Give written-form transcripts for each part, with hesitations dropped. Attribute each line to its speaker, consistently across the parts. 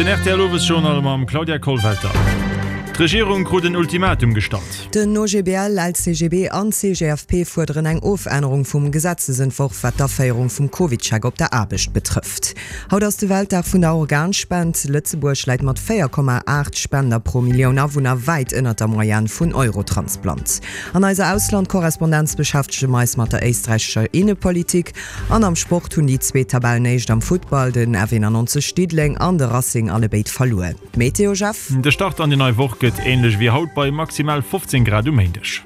Speaker 1: Den rtl Owesjournal mam Claudia Kollwelter. D'Regierung krut en Ultimatum gestallt.
Speaker 2: Den OGBL, LCGB an CGFP fuerderen eng Ofännerung vum Gesetzesentworf, wat d'Aféierung vum CovidCheck op der Aarbecht betrëfft. Haut ass de Weltdag vun der Organspend. Lëtzebuerg läit mat 4,8 Spender pro Millioun Awunner wäit ënnert der Moyenne vun Eurotransplant. An eiser Auslandkorrespondenz beschäftege mer eis mat der éisträichescher Innepolitik. An am Sport hunn déi zweet Tabellenéischt am Futtball, den F91 Diddeleng an de Racing allebéid verluer. D'Meteo, Jeff?
Speaker 1: De Start an déi nei Woch gëtt änlech wéi haut bei maximal 15 Grad um Méindeg.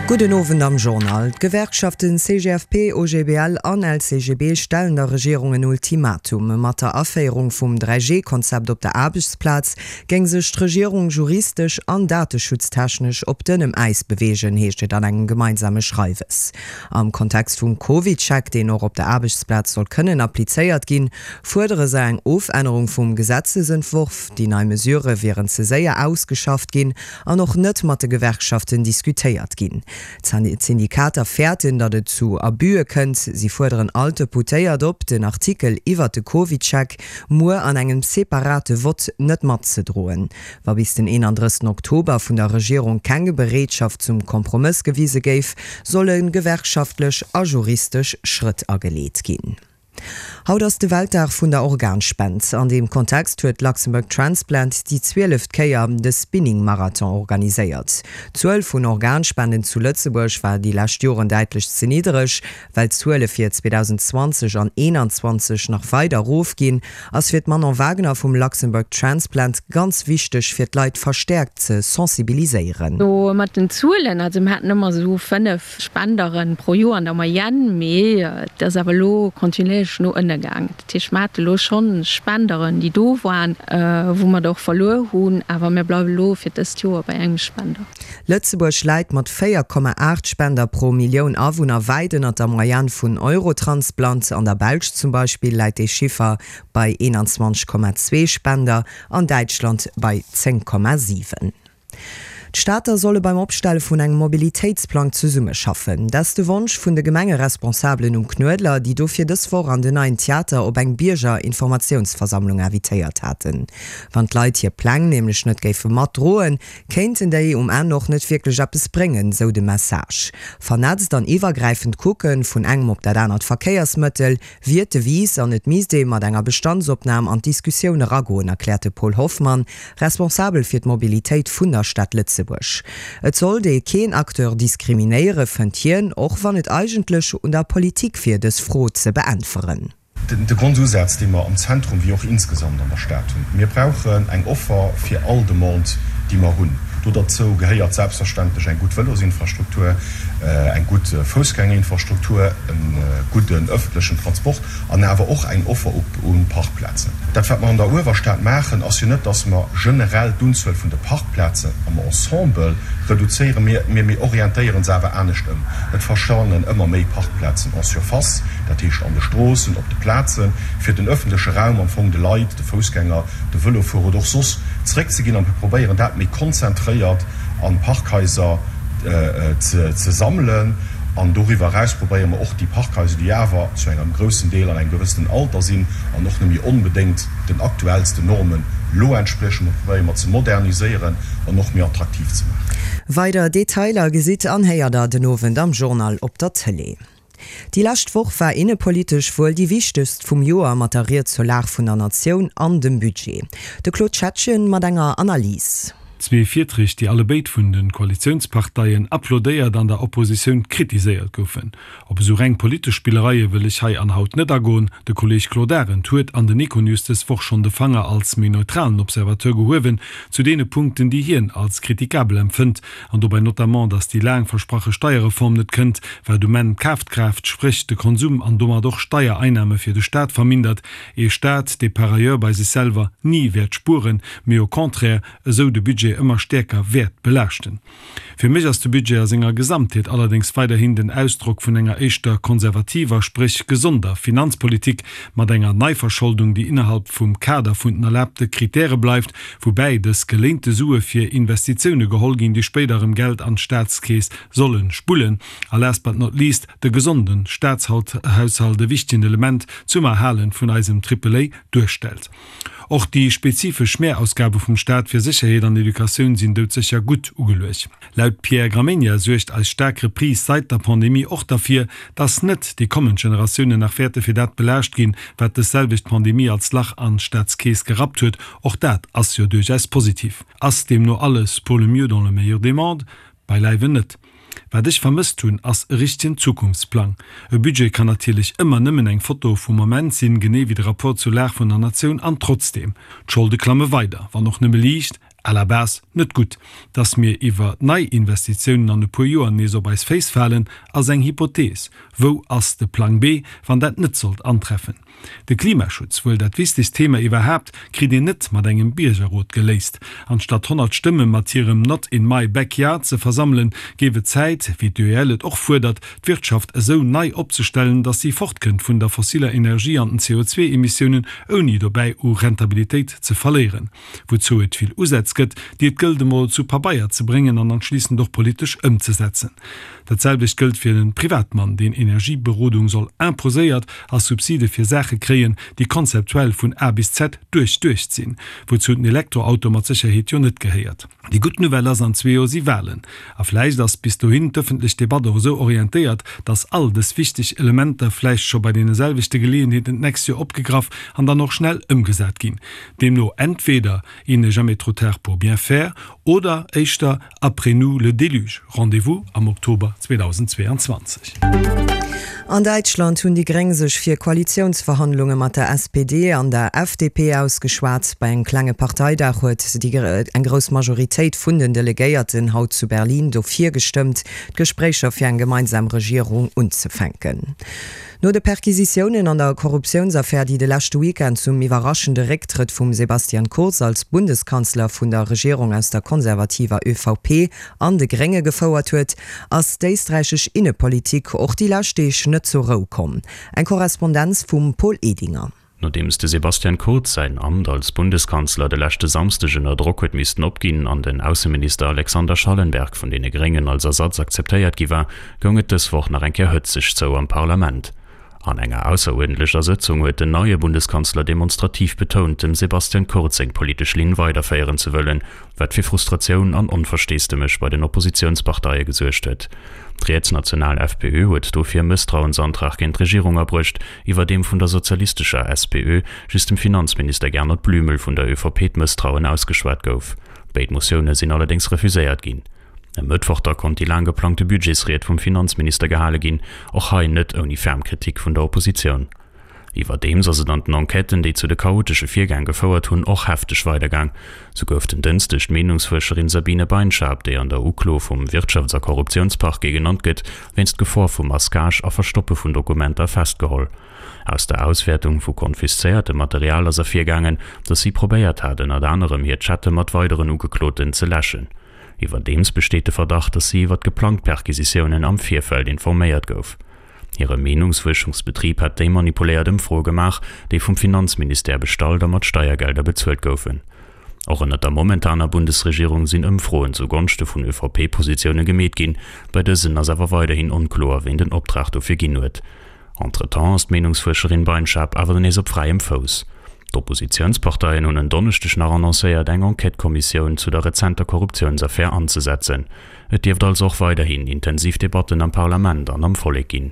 Speaker 2: Gudden Owend am Journal. D'Gewerkschaften CGFP, OGBL an LCGB stellen der Regierung en Ultimatum. Mat der Aféierung vum 3G-Konzept op der Aarbechtsplaz géing sech d'Regierung juristesch an dateschutztechnesch op dënnem Äis beweegen, heescht et an engem gemeinsame Schreiwes. Am Kontext vum CovidCheck, deen och op der Aarbechtsplaz soll kënnen applizéiert ginn, fuerdere se eng Ofännerung vum Gesetzesentworf. Déi nei Mesurë wieren ze séier ausgeschafft ginn an och net mat de Gewerkschaften diskutéiert ginn. D'Syndikater fäerten, datt et zu Abüe kënnt. Si fuerderen all d'Deputéiert op, den Artikel iwwert de CovidCheck muer an engem separate Vott net matzedroen. Wa bis den 31 Oktober vun der Regierung keng Bereetschaft zum Kompromëss gewise géif, solle gewerkschaftlech a juristesch Schrëtt ageleet ginn. Haut ass de Weltdag vun der Organspend. An deem Kontext huet Luxembourg Transplant déi zwieleft Kéier de Spinning Marathon organiséiert. D'Zuel vun Organspenden zu Lëtzebuerg war déi lescht Joren däitlech ze niddereg. Well d'Zuele fir 2020 an 2021 nach weider erofginn, ass fir d'Manon Wagner vum Luxembourg Transplant ganz wichteg fir d'Leit verstäerkt ze sensibiliséieren.
Speaker 3: Do mat den Zuelen, also mir haten ëmmer esou 5 Spendere pro Joer an der Moyenne, mee et ass awer elo kontinuéierlech no ënne gaang. Dat heescht, mir hate elo schonn Spenderen, déi do waren, wou mer der och verluer hunn, awer mir bleiwe elo fir dëst Joer bei engem Spender.
Speaker 2: Lëtzebuerg läit mat 4,8 Spender pro Millioun Awunner wäit ënnert der Moyenne vun Eurotransplant. An der Belsch zum Beispill läit dee Chiffer bei 21,2 Spender, an Däitschland bei 10,7. D'Stater solle beim Opstelle vun engem Mobilitéitsplang zesummeschaffen. Dat ass de Wonsch vun de Gemengeresponsabelen um Knuedler, déi dofir dës Woch an den Neien Theater op eng Biergerinformatiounsversammlung invitéiert haten. Wann d'Leit hir Pläng nämlech net géife matdroen, kéinten déi um Enn och net wierklech eppes bréngen, sou de Message. Vernetzt an iwwergräifend kucken, vun engem op dat anert Verkéiersmëttel, wier d'Devise an et misst ee mat enger Bestandsopnam an d'Diskussioun eragoen, erkläert de Paul Hoffmann, Responsabel fir d'Mobilitéit vun der Stad Lëtzebuerg. Et sollt ee keen Acteur diskriminéiere, fënnt hien, och wann et eigentlech un der Politik wier, dës Fro ze beäntweren.
Speaker 4: De Grondusaz, dee mer am Zentrum wéi och insgesamt an der Stad hunn, Mir brauchen eng Offer fir all Demande, déi mer hunn. Do derzou gehéiert selbstverständlech eng gutt Vëlosinfrastruktur, eng gutt Foussgängerinfrastruktur, e gudden öffentlechen Transport an awer och eng Offer u Parkplazen. Dat, wat mer an der Uewerstad maachen, ass jo net, dass mer generell d'Unzuel vun de Parkplazen am Ensemble reduzéieren, mee mir orientéiere se awer anescht ëm. Et verschwannen ëmmer méi Parkplazen en surface, dat heescht an de Stroossen, op de Plazen, fir den öffentleche Raum am Fong de Leit, de Foussgänger, de Vëlofuerer oder och soss zeréckzeginn. A mir probéieren dat méi konzentréiert a Parkhaiser ze sammelen. An doriwwer eraus probéiere mer och déi Parkhaiser, déi awer zu engem groussen Deel an engem gewëssenen Alter sinn an och net méi onbedéngt den aktuellsten Normen elo entspriechen, probéiere mer ze moderniséieren an och méi attraktiv ze maachen.
Speaker 2: Weider Detailer gesitt an héiert der den Owend am Journal op der Tëlee. Déi lescht Woch war innepolitesch wuel déi wichtegst vum Joer mat der Ried zur Lag vun der Natioun an dem Budget. De Claude Schettgen mat enger Analys.
Speaker 5: Zwee Virträg, déi allebéid vun de Koalitiounsparteien applaudéiert an der Oppositioun kritiséiert goufen. Op esou reng politesch Spillereie wëll ech hei an haut net agoen. De Kolleeg Claude Arend huet an den Econews dës Woch schonn de Fanger als méi neutralen Observateur gehuewen zu deene Punkten, déi hien als kritikabel empfënnt, an dobäi notamment, datt déi laang versprache Steierreform net kënnt, wat um Enn d'Kafkraaft, spréch de Konsum an domat och Steiereinnahme fir de Staat vermindert, ee Staat, dee par ailleurs bei sech selwer ni wäert spueren, mee au contraire esou de Budget ëmmer stäerker wäert belaaschten. Fir mech ass de Budget a senger Gesamtheet allerdéngs weiderhin den Ausdrock vun enger éischter konservativer, spréch gesonder Finanzpolitik mat enger Neiverscholdung, déi innerhalb vum Kader vun den erlaabte Kritäre bleift, woubäi dës geléinte Sue fir Investitioune geholl ginn, déi spéider erëm Geld an d'Staatskeess solle spullen. A last but not least, de gesonde Staatshaushalt e wichtegen Element zum Erhale vun eisem Triple-A duerstellt. Och déi spezifesch Mehrausgabe vum Staat fir Sécherheet an Educatioun sinn doudsécher gutt ugeluecht. Laut Pierre Gramegna suergt eis staark Reprise seit der Pandemie och derfir, dass net déi kommend Generatiounen nach wäerte fir dat belaascht ginn, wat dës selwecht Pandemie als Lach an d'Staatskeess gerappt huet. Och dat ass jo duerchaus positiv. Ass deemno alles pour le mieux dans le meilleur des mondes? Beileiwen net. Wat ech vermësst hunn, ass e richtegen Zukunftsplang. E Budget kann natierlech ëmmer nëmmen eng Foto vum Moment sinn, genee wéi de Rapport zur Lag vun der Natioun. An trotzdeem, d'Scholde klamme weider, wann och nëmme liicht, à la base net gutt. Dass mir iwwer Neiinvestitiounen an e puer Joer nees op eis Féiss falen, ass eng Hypothees. Wou ass de Plang B, wann dat net sollt antreffen? De Klimaschutz, wuel dat wichtegst Thema iwwerhaapt, kritt een net mat engem Biergerrot geléist. Anstatt 100 Stëmme mat hirem Not in my backyard ze versammelen, géif et Zäit, wéi d'UEL et och fuerdert, d'Wirtschaft esou nei opzestellen, datt si fortkënnt vun der fossiller Energie an den CO2-Emissiounen, ouni dobäi u Rentabilitéit ze verléieren. Wouzou et vill Usätz gëtt, déi et gëllt emol zu Pabeier ze bréngen an anschliissend och politesch ëmzesetzen. Dat selwecht gëllt fir de Privatmann, deen Energieberodung soll imposéiert a Subside fir Saache kréien, déi konzeptuell vun A bis Z duerchduecht sinn, wouzou den Elektroauto mat Sécherheet jo net gehéiert. Déi gutt Nouvelle ass, an zwee Joer si Walen. A vläicht ass bis dohin d'ëffentlech Debatt och esou orientéiert, datt all dës wichteg Elementer vläicht scho bei deene selwechte Geleeënheeten d'nächst Joer opgegraff an dann och schnell ëmgesat ginn. Deemno entweder il n'est jamais trop tard pour bien faire oder éischter après nous le déluge. Rendez-vous am Oktober 2022.
Speaker 2: An Däitschland hunn déi Gréng sech fir Koalitiounsverhandlunge mat der SPD an der FDP ausgeschwat. Bei engem klenge Parteidag huet déi eng grouss Majoritéit vun den Delegéierten haut zu Berlin dofir gestëmmt, d'Gespréicher fir eng gemeinsam Regierung unzefänken. No de Perquisitiounen an der Korruptiounsaffär, déi de leschte Weekend zum iwwerraschende Récktrëtt vum Sebastian Kurz als Bundeskanzler vun der Regierung aus der konservativer ÖVP an de Grénge gefouert huet, ass d'éisträichesch Innepolitik och déi lescht Deeg net zur Rou komm. Eng Korrespondenz vum Paul Edinger.
Speaker 6: Nodeems de Sebastian Kurz säin Amt als Bundeskanzler de leschte Samsdeg ënner Drock huet missten opginn an den Ausseminister Alexander Schallenberg vun deene Gréngen als Ersatz akzeptéiert gi war, goung et dës Woch nach eng Kéier hëtzeg zou am Parlament. An enger ausseruerdentlecher Sëtzung huet den neie Bundeskanzler demonstrativ betount, dem Sebastian Kurz seng politesch Linn weiderféieren ze wëllen, wat fir Frustratioun an Onversteesdemech bei den Oppositiounsparteie gesuergt huet. D'rietsnational FPÖ huet dofir e Mësstrauensantrag géint d'Regierung abruecht, iwwerdeem vun der sozialistescher SPÖ just dem Finanzminister Gernot Blümel vun der ÖVP d'Mësstrauen ausgeschwat gouf. Béid Motioune sinn allerdéngs refuséiert ginn. E Mëttwoch da konnt déi laang geplangte Budgetsried vum Finanzminister gehale ginn, och hei net ouni ferm Kritik vun der Oppositioun. Iwwerdeems ass et an den Enquêten, déi zu de chaotesche Virgäng gefouert hunn, och hefteg weidergaang. Sou gouf den Dënschdeg d'Meenungsfuerscherin Sabine Beinschab, déi an der Uklo vum Wirtschafts a Korruptiounsparquet genannt gëtt, wéinst Gefor vu Masquage a Verstoppe vun Dokumenter festgeholl. Aus der Auswäertung vu konfiszéiertem Material ass ervirgaangen, datt si probéiert hat, ënnert anerem hir Chatte mat weideren Ugekloten ze läschen. Iwwerdeems besteet de Verdacht, datt si iwwer geplangt Perquisitiounen am Virfeld informéiert gouf. Hire Meenungsfuerschungsbetrib hätt déi manipuléiert Ëmfroe gemaach, déi vum Finanzministère bestallt a mat Steiergelder bezuelt goufen. Och ënnert der momentaner Bundesregierung sinn Ëmfroen zu Gonschte vun ÖVP-Positioune gemeet ginn. Bei dësen ass awer weiderhin onkloer, ween den Optrag dofir ginn huet. Entretemps ass d'Meenungsfuerscherin Beinschab awer nees op fräiem Fouss. D'Oppositiounsparteien hunn en Donneschdeg nach annoncéiert, eng Enquête-Kommissioun zu der rezenter Korruptiounsaffär anzesetzen. Et dierft also och weiderhin intensiv Debatten am Parlament an am Vollek ginn.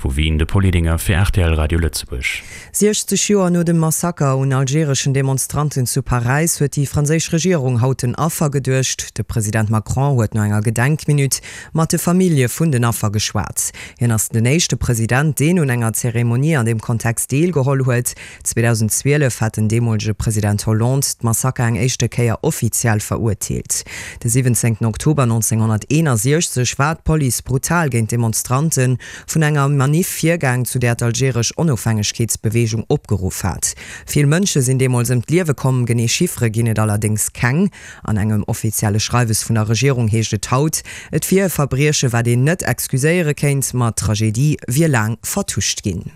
Speaker 6: Vu Wien, de Paul Edinger fir rtl Radio Lëtzebuerg.
Speaker 2: 60 Joer no dem Massaker un algereschen Demonstranten zu Paräis huet déi franséisch Regierung haut den Affer geduecht. De President Macron huet no enger Gedenkminutt mat de Famillje vun den Affer geschwat. Hien ass den éischte President, deen un enger Zeremonie an deem Kontext deelgeholl huet. 2012 hat den deemolege President Hollande d'Massaker eng éischte Kéier offiziell verurteelt. De 17 Oktober 1961 war d'Police brutal géint d'Demonstrante vun enger Maniff virgaang, zu där d'algeresch Onofhängegkeetsbeweegung opgeruff hat. Vill Mënsche sinn deemools ëm d'Liewe komm, genee Chiffere ginn et allerdéngs keng. An engem offizielle Schreiwes vun der Regierung heescht et haut, et wier e Verbrieche wat een net excuséiere kéint, ma d'Tragedie wier laang vertuscht ginn.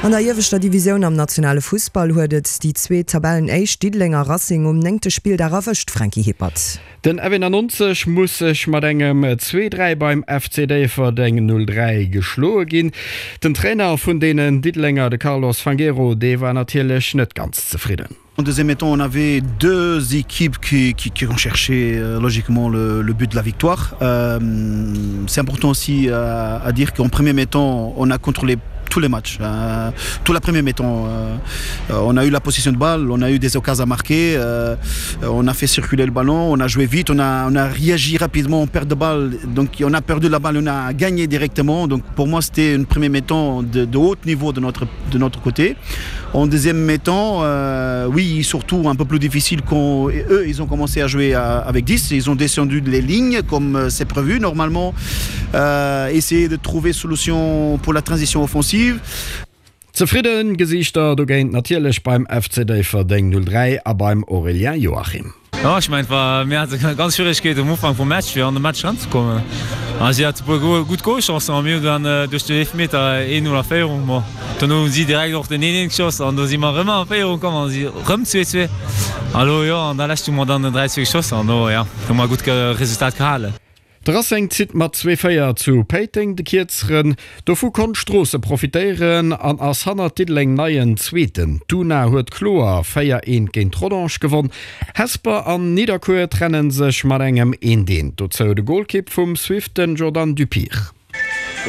Speaker 2: An der ieweschter Divisioun am nationale Fussball huet et déi zweet Tabellenéischt Diddelenger Racing um néngte Spilldag erwëscht, Franky Hippert.
Speaker 7: Den F91 muss sech mat engem 2, 3 beim FC Déifferdeng 0, 3 geschloe ginn. Den Trainer vun deenen Diddelenger, de Carlos Fangueiro, dee war natierlech net ganz zefridden.
Speaker 8: En deuxième mi-temps, on avait deux équipes qui, qui, qui ont cherché euh, logiquement le, le but de la victoire. Euh, C'est important aussi à, à dire qu'en premier mi-temps, on a contrôlé tous les matchs euh, tout la première mi-temps euh, euh, on a eu la position de balle on a eu des occasions à marquer euh, on a fait circuler le ballon on a joué vite on a, on a réagi rapidement en perte de balle donc on a perdu la balle on a gagné directement donc pour moi c'était une première mi-temps de, de haut niveau de notre de notre côté en deuxième mi-temps euh, oui surtout un peu plus difficile qu'on eux ils ont commencé à jouer à, avec 10 ils ont descendu les lignes comme euh, c'est prévu normalement euh, essayer de trouver solution pour la transition offensive.
Speaker 7: Zefridde Gesiichter dogéint natierlech beim FC Déifferdeng 03 a beim Aurélien Joachim.
Speaker 9: Jo, ech mengen, et war, mir hate ganz Schwieregkeeten um Ufank vum Match fir an de Match eranzekommen. A si hate e puer gutt Golchancen a mir hunn dann duerch den Eelefmeter 1-0 a Féierung. Bon, dono hu si direkt och den 1-1 geschoss an do si mer erëm a Féierung komm an si erëm 2-2. A lo, jo, an der Lescht hu mer dann den 3-2 geschoss an do, jo, hu mer e gutt Resultat gehalen.
Speaker 7: De Racing zitt mat zwee 4 zu Péiteng de Kierzeren. Dovu konnt Stroosse profitéieren an ass hannert Diddeleng neien Zweeten. D'Una huet kloer 4 eent géint Rodange gewonn. Hesper an Nidderkuer trenne sech mat engem eent eent. Dozou de Golkipp vum Swift, den Jordan Dupire.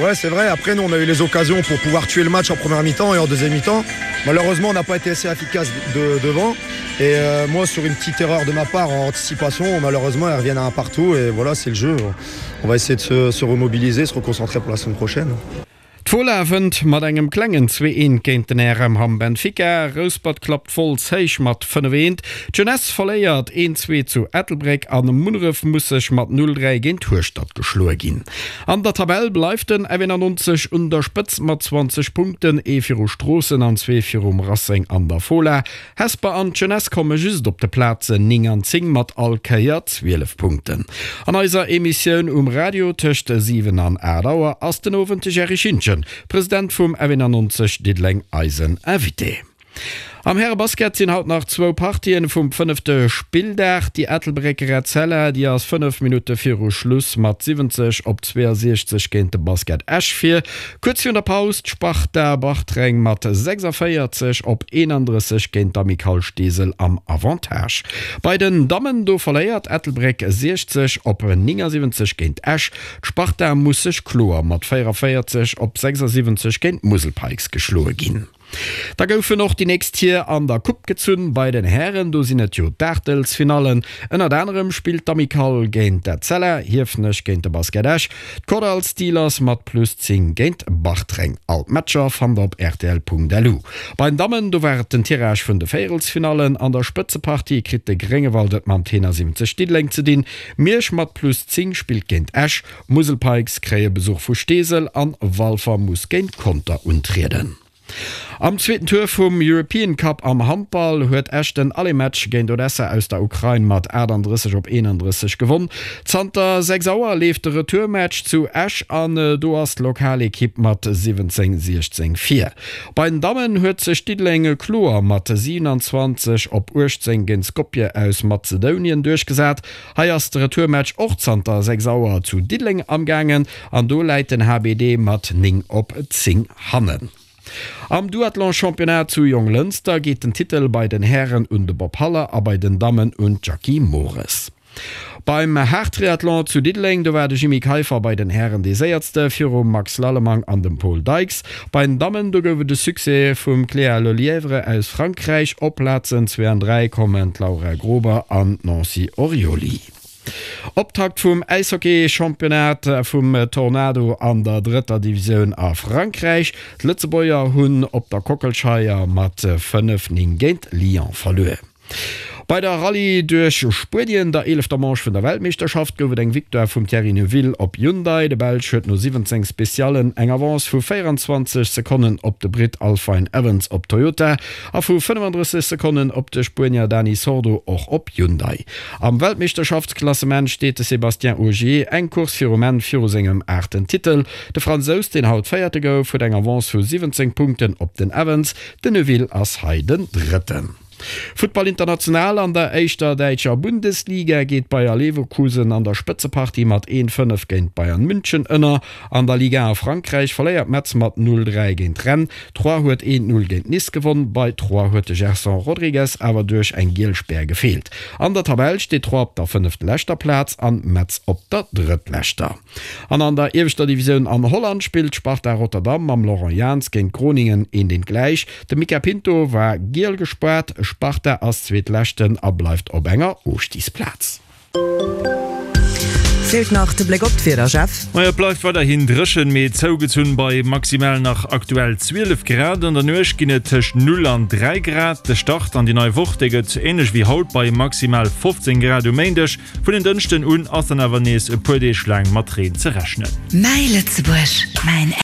Speaker 10: Ouais c'est vrai, après nous on a eu les occasions pour pouvoir tuer le match en première mi-temps et en deuxième mi-temps. Malheureusement on n'a pas été assez efficace de, devant. Et euh, moi sur une petite erreur de ma part en anticipation, malheureusement elles reviennent à un partout et voilà c'est le jeu. On va essayer de se, se remobiliser, se reconcentrer pour la semaine prochaine.
Speaker 7: D'Fola wënnt mat engem klengen 2 eent géint den RM Hamm Benfica. Rouspert klappt Wolz héich mat 5 eent. D'Jeunesse verléiert 1 2 zu Ettelbréck an Munneref muss sech mat 0 3 géint Hueschtert geschloe ginn. An der Tabell bleift den F91 un der Spëtz mat 20 Punkten, ee viru Stroossen an zwee virum Racing an der Fola. Hesper an d'Jeunesse komme just op de Plazen 9 an 10 mat all Kéier 12 Punkten. An eiser Emissioun um Radio tëscht 7 an 8 Auer ass den Owend de Jerry Schintgen, President vum F91 Diddeleng eisen Invité. Am Härebasket sinn haut nach zwou Partien vum fënnefte Spilldag. Déi Ettelbrécker Etzella, déi ass 5 Minutte viru Schluss mat 70 op 62 géint de Basket Esch vir. Kuerz virun der Paus d'Sparta Bartreng mat 46 op 31 géint d'Amicale Steesel am Avantage. Bei den Dammen do verléiert Ettelbréck 60 op 79 géint Esch. D'Sparta muss sech kloer mat 44 op 76 géint d'Musel Pikes geschloe ginn. Da goufen och déi nächst Tier an der Coupe gezunn. Bei den Hären, do sinn et jo d'Aachtelsfinallen. Ënnert anerem spillt d'Amicale géint d'Etzella, Hiefenech géint de Basket Esch, d'Kordall Steelers mat plus 10 géint Bartreng. All d'Matcher fannt der op rtl.lu. Bei den Dammen, do war et den Tirage vun de Véierelsfinallen. An der Spëtzepartie kritt de Gréngewald et mam Tenor 70 Diddeleng ze dinn. Miersch mat plus 10 spillt géint Esch. D'Musel Pikes kréie Besuch vu Steesel an Walfer muss géint Conter untrieden. Am zweeten Tour vum European Cup am Handball huet Esch den Aller-Match géint Odessa aus der Ukrain mat 38 op 31 gewonn. Zanter 6 Auer leeft de Retourmatch zu Esch an do ass d'Lokalekipp mat 17, 16 vir. Bei den Dammen huet sech Diddeleng kloer mat 27 op 18 géint Skopje aus Mazedounien duerchgesat. Hei ass de Retourmatch och zanter 6 Auer zu Diddeleng amgaangen an do läit den HBD mat 9 op 10 hannen. Am Duathlon-Championnat zu Jonglënster geet den Titel bei den Hären un de Bob Haller a bei den Dammen un d'Jackie Mores. Beim Haartriathlon zu Diddeleng, do war de Jimmy Keiffer bei den Hären dee Séiertste virum Max Lallemang an dem Paul Dykes. Bei den Dammen, do gouf et e Succès vum Cléa Lelièvre aus Frankräich. Op Plazen zwee an 3 kommen d'Laura Grober an d'Nancy Orioli. Optakt vum Äishockey-Championnat vum Tornado an der drëtter Divisioun a Frankräich. D'Lëtzebuerger hunn op der Kockelscheier mat 5, 9 géint Lyon verluer. Bei der Rallye duerch Spuenien, der eelefter Manche vun der Weltmeeschterschaft, gouf et eng Victoire vum Thierry Neuville op Hyundai. De Belsch huet no 17 Speciallen eng Avance vu 24 Sekonnen op de Britt Alfine Evans op Toyota a vu 35 Sekonnen op de Spuenier Dani Sordo och op Hyundai. Am Weltmeeschterschaftsklassement steet de Sébastien Ogier eng Course virum Enn viru sengem aachten Titel. De Fransous, deen haut Véierte gouf, huet eng Avance vu 17 Punkten op den Evans. Den Neuville ass hei den Drëtten. Futtball international, An der éischter däitscher Bundesliga geet Bayer Leverkusen an der Spëtzepartie mat 1, 5 géint Bayern München ënner. An der Ligue 1 a Frankräich verléiert Metz mat 0, 3 géint Rennes. Troyes huet 1, 0 géint Nice gewonn. Bei Troyes huet de Gerson Rodrigues awer duerch eng giel Spär gefeelt. An der Tabell steet Troyes op der fënneftläschter Plaz an Metz op der drëttleschter. An an der ieweschter Divisioun an Holland spillt Sparta Rotterdam mam Laurent Jans géint Groningen eent eent gläich. De Mica Pinto war giel gespaart. Sparta ass Zweetleschten a bleift op enger Ofstigsplaz.
Speaker 2: Feelt nach de Bléck op d'Wieder, Jeff?
Speaker 1: Majo, et bleift weiderhin dréchen, mee zougezunn bei maximal nach aktuell 12 Grad. An der Nuecht ginn et tëscht 0 an 3 Grad. De Start an déi nei Woch, dee gëtt änlech wéi haut bei maximal 15 Grad um Méindeg. Vun en Dënschden un ass dann awer nees e puer Deeg laang mat Reen ze rechnen.
Speaker 11: Mäi Lëtzebuerg, mäin.